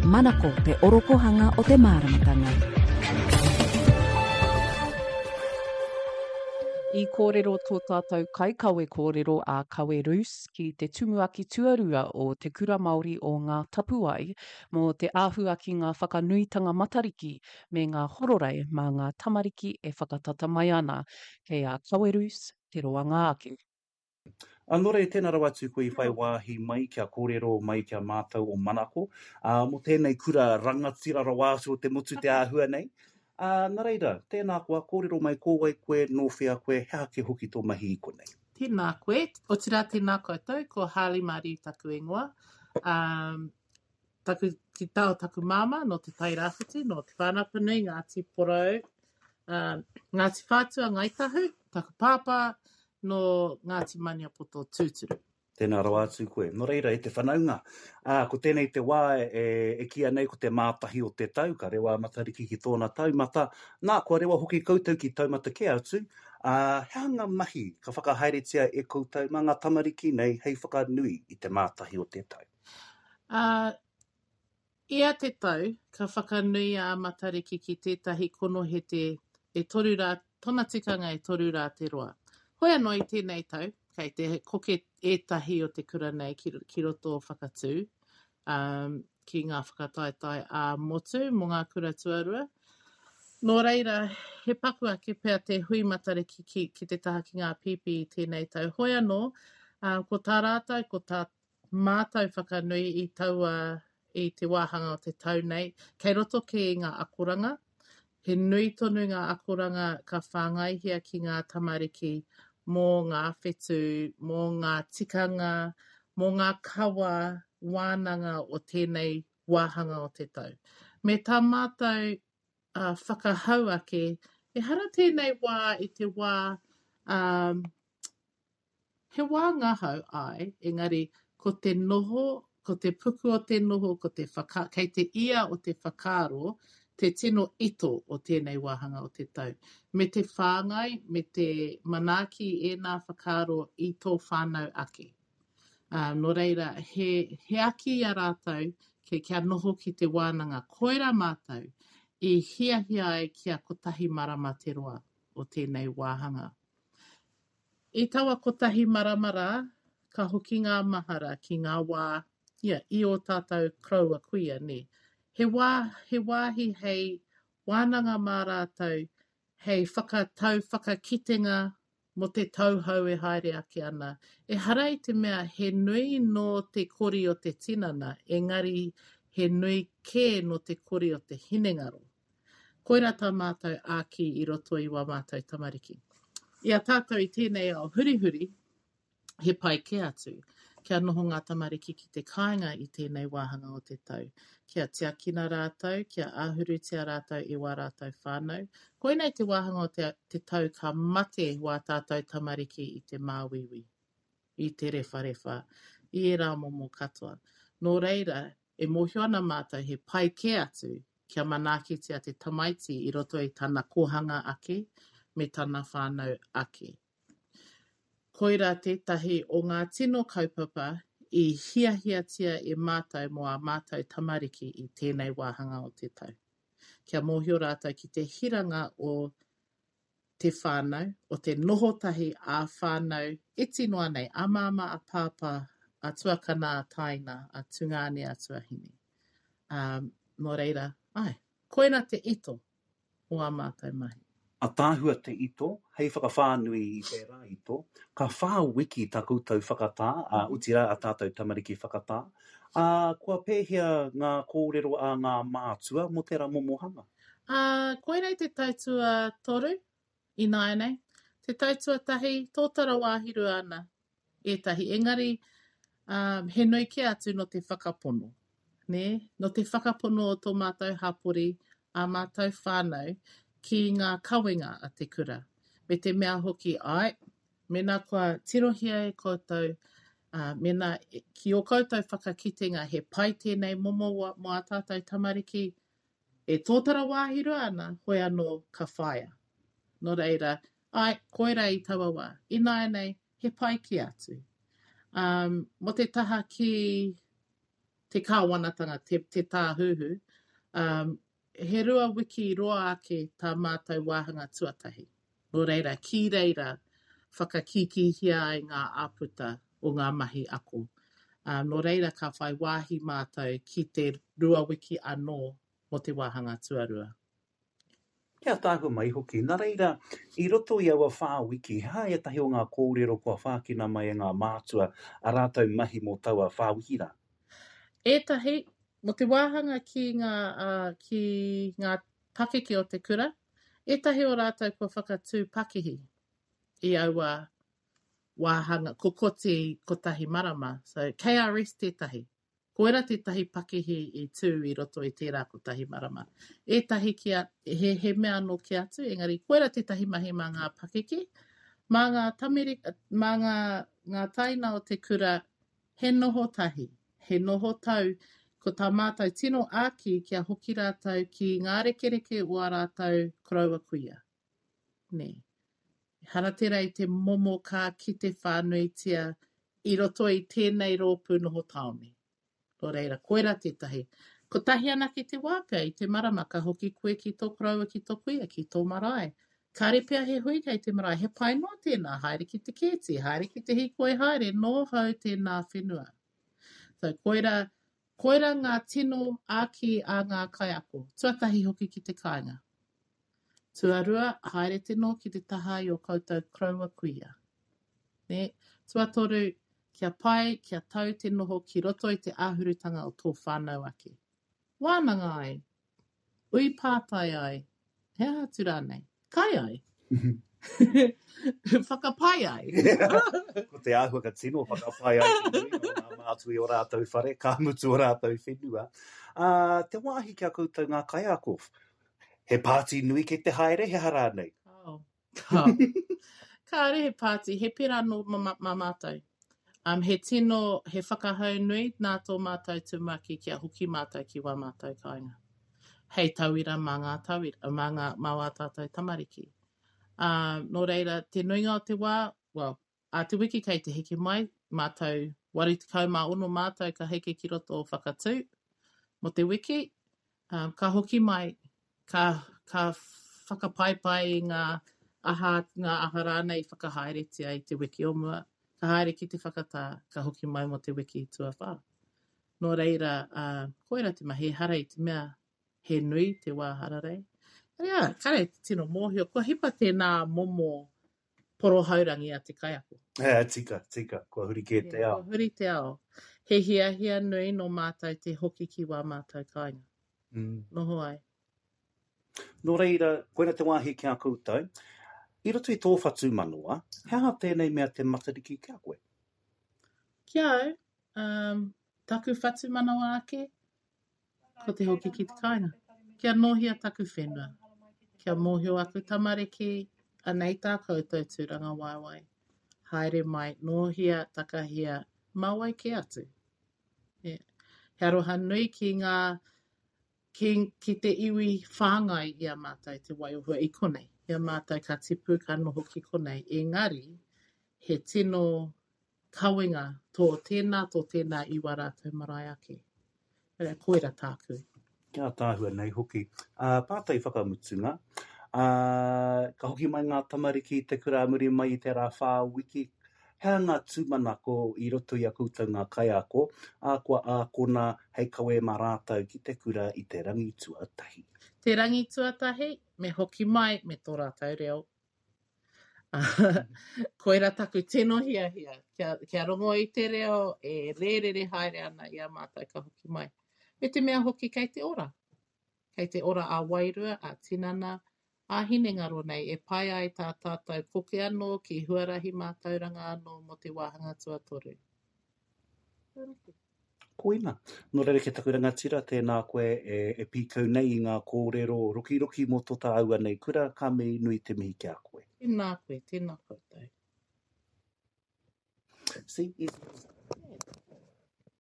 Manako te orokohanga o te māramatanga. I kōrero tō tātou kaikawe kōrero a Kawe Roos ki te tumuaki tuarua o Te Kura Māori o Ngā Tapuwae mō te āhua ki ngā whakanuitanga Matariki me ngā hororei mā ngā tamariki e whakatata mai ana. Kei a Kawe Roos te roanga ake. Ā, nō reira, tēnā rawa atu koe i whai wāhi mai kia kōrero mai ki a mātou o Manako, ā, mō tēnei kura rangatira rawa atu o te motu te āhua nei. Ā, nā reira, tēnā koa, kōrero mai ko wai koe, nō whea koe, he aha kē hoki tō mahi i konei? Tēnā koe, otirā tēnā koutou, ko Harley Mariu taku ingoa. Ā, taku, ki tā o taku māmā, nō Te Tairāwhiti, nō Te Whānau-a-Apanui, Ngāti Porou, ā, Ngāti Whātua, Ngāi Tahu, taku pāpā, nō Ngāti Maniapoto tūturu. Tēnā rawa atu koe. Nō reira, e te whanaunga, ā, ko tēnei te wā e, e kīia nei ko te mātahi o te tau, ka rewa a Matariki ki tōna taumata, nā, kua rewa hoki koutou ki taumata kē atu, ā, he aha ngā mahi ka whakahaeretia e koutou mā ngā tamariki nei hei whakanui i te mātahi o te tau? Ā, ia te tau, ka whakanui a Matariki ki tētahi konohete e toru rā, tōna tikanga e toru rā te roa. Hoi anō i tēnei tau, kei te koke ētahi o te kura nei ki, ki roto o Whakatū, ā, ki ngā whakataetae ā-motu mō ngā kura tuarua. Nō reira, he paku ake pea te hui Matariki ki, ki te taha ki ngā pīpī i tēnei tau. Hoi anō, ā, ko tā rātou, ko tā mātou whakanui i taua, i te wāhanga o te tau nei, kei roto kē i ngā akoranga. He nui tonu ngā akoranga ka whāngaihia ki ngā tamariki mō ngā whetū, mō ngā tikanga, mō ngā kawa wānanga o tēnei wāhanga o te tau. Me tā mātou uh, whakahau ake, ehara tēnei wā i te wā um, He wā ngahau, āe, engari ko te noho, ko te puku o te noho, ko te whaka, kei te ia o te whakaaro te tino ito o tēnei wāhanga o te tau. Me te whāngai, me te manaaki i ēnā whakaaro i tō whānau ake. Ā, nō reira, he, he aki i a rātou kia, kia noho ki te wānanga. Koirā mātou i hiahia ai kia kotahi marama te roa o tēnei wāhanga. I taua kotahi marama rā, ka hoki ngā mahara ki ngā wā, ia, i ō tātou koroua kuia, nē. He wā, he wāhi hei wānanga mā rātou, hei whakatau whakakitenga mō te tau hou e haere ake ana. Ehara i te mea he nui nō te kori o te tinana, engari he nui kē nō te kori o te hinengaro. Koirā tā mātou āki i roto i wā mātou tamariki. I a tātou i tēnei ao hurihuri, he pai kē atu kia noho ngā tamariki ki te kāinga i tēnei wāhanga o te tau, kia tiakina rātou, kia āhurutia rātou e wā rātou whānau. Koinei te wāhanga o te, te tau ka mate wā tātou tamariki i te māuiui, i te rewharewha, i ērā momo katoa. Nō reira, e mōhio ana mātou he pai kē atu kia manaakitia te tamaiti i roto i tana kōhanga ake me tana whānau ake. Koirā tētahi o ngā tino kaupapa i hiahiatia e mātou mō ā mātou tamariki i tēnei wāhanga o te tau. Kia mōhio rātou ki te hiranga o te whānau, o te noho tahi ā-whānau iti noa nei, a māmā, a pāpā, a tuakana, a taina, a tungāne, a tuahine. Ā, nō reira, āe, koirā te ito o ā mātou mahi. Ataahua te ito, hei whakawhānui i tērā ito, ka whā wiki tā koutou whakatā, ā, otirā ā tātou tamariki whakatā, ā, kua pēhea ngā kōrero a ngā mātua mō tērā momo hanga? Ā, koinei te tau tuatoru ināianei. Te tau tuatahi, tōtara wāhirua ana ētahi, engari, ā, he nui kē atu nō te whakapono, nē? Nō te whakapono o tō mātou hapori, ā mātou whānau, ki ngā kawenga a te kura. Me te mea hoki, āe, mēnā kua tirohia e koutou, ā, mēnā ki ō koutou whakakitenga he pai tēnei momo mō ā tātou tamariki, E tōtara wāhi roa ana, hoi anō ka whāia. Nō reira, āe, koirā i taua wā. Ināianei, he pai kē atu. Um, mō te taha ki te kāwanatanga, te, te tāhuhu, um, he rua wiki roa ake tā mātou wāhanga tuatahi. Nō reira, ki reira whakakīkīhia ai ngā āputa o ngā mahi ako. Ā, nō reira ka whai wāhi mātou ki te rua wiki anō mō te wāhanga tuarua. Kia tāhua mai hoki. Nā reira, i roto i aua whā wiki, he aha ētahi o ngā kōrero kua whākina mai e ngā mātua ā rātou mahi mō taua whā wiki rā? Ētahi, mō te wāhanga ki ngā, ā, ki ngā pakeke o te kura, ētahi o rātou kua whakatū pakihi i aua wāhanga, kokoti kotahi marama. So, KRS tētahi. Koira tētahi pakihi i tū i roto i tērā kotahi marama. Ētahi ki a, he, he mea anō ki atu, engari koira tētahi mahi mā ngā pakeke, mā ngā tameri, mā ngā, ngā taina o te kura, he noho tahi, he noho tau, ko tā mātou tino āki kia hoki rātou ki ngā rekereke o ā rātou koroua kuia. Nē. Ehara tērā i te momo ka kite whānuitia i roto i tēnei rōpū noho tāone. Nō reira, koirā tētahi. Kotahi anake te wā pea i te marama ka hoki koe ki tō koroua, ki tō kuia, ki tō marae. Kāre pea he hui kei te marae, he pai noa tēnā, haere ki te kēti, haere ki te hīkoi haere, nōhau tēnā whenua. So, koirā, koirā ngā tino āki a ngā kaiako. Tuatahi hoki ki te kāinga. Tuarua, haere te noho ki te taha i ō koutou koroua kuia. Nē? Tuatoru, kia pai, kia tau te noho ki roto i te āhurutanga o tō whānau ake. Wānanga ai, ui pātai ai, he aha atu rānei? Kai ai. Whakapai ai. Ko te āhua ka tino whakapai ai te nuinga o ngā mātua i ō rātou whare, ka mutu ō rātou whenua. Ā, te wāhi ki a koutou ngā kaiako, He pāti nui kei te haere, he aha rānei? Kāo. Kāo. Kāore he pāti, he pērā anō ma, ma mātou. Um, he tino, he whakahau nui nā tō mātou tumuaki kia hoki mātou ki wā mātou kāinga. Hei tauira mā ngā tauira, mā ngā, mā wā tātou tamariki. Um, nō reira, te nuinga o te wā, well, Ā te wiki kei te heke mai, mātou 86 mātou ka heke ki roto o Whakatū mō te wiki, um, ka hoki mai, ka, ka whakapaipai i ngā aha, ngā aha rānei i whakahaeretia i te wiki o mua, ka haere ki te whakatā, ka hoki mai mō te wiki tuawhā. Nō reira, uh, koira te mahi, ehara i te mea he nui te wā hararei. Engari, ā, kare te tino mōhio, kua hipa tēnā momo porohaurangi a te kaiako. Ā, tika, tika, kua huri kē te ao. Kua huri te ao. He hiahia nui nō mātou te hoki ki wā mātou kāinga. Mm. Noho ai. Nō reira, koina te wāhi ki a koutou. I roto i tō whatumanawa, he aha tēnei mea te Matariki ki a koe? Ki a au, um, taku whatumanawa ake, Ko te hoki ki te kāinga. Kia nōhia taku whenua. Kia mōhio aku tamariki, anei tā koutou tūrangawaewae. Haere mai, nōhia, takahia, mā wai kē atu? Yeah. He aroha nui ki ngā, ki, ki te iwi whāngai i a mātou te waiohua i konei. I a mātou ka tipu, ka noho ki konei. Engari, he tino kawenga tō tēnā, tō tēnā i wā rātou marae ake. Koira, koira tāku. Kia ātaahua nei hoki. Ā, pātai whakamutunga, ā, ka hoki mai ngā tamariki i te kura ā muri mai i tērā whā wiki, he aha ngā tūmanako i roto i a koutou ngā kaiako, ā, kua ākona hei kawe mā rātou ki te kura i te rangi tuatahi? Te rangi tuatahi, me hoki mai me tō rātou reo Koira taku tino hiahia, kia, kia rongo i te reo e rērere haere ana i a mātou ka hoki mai. Me te mea hoki kei te ora. Kei te ora ā-wairua, ā-tinana, ā-hinengaro nei e pai ai tā tātou koke anō ki huarahi mātauranga anō mō te wāhanga tuatoru. Koina. Nō reira ki taku rangatira, tēnā koe e, e pīkau nei i ngā kōrero rokiroki mō tō tāua nei kura, ka mihi nui te mihi ki a koe. Tēnā koe, tēnā koutou. See, easy.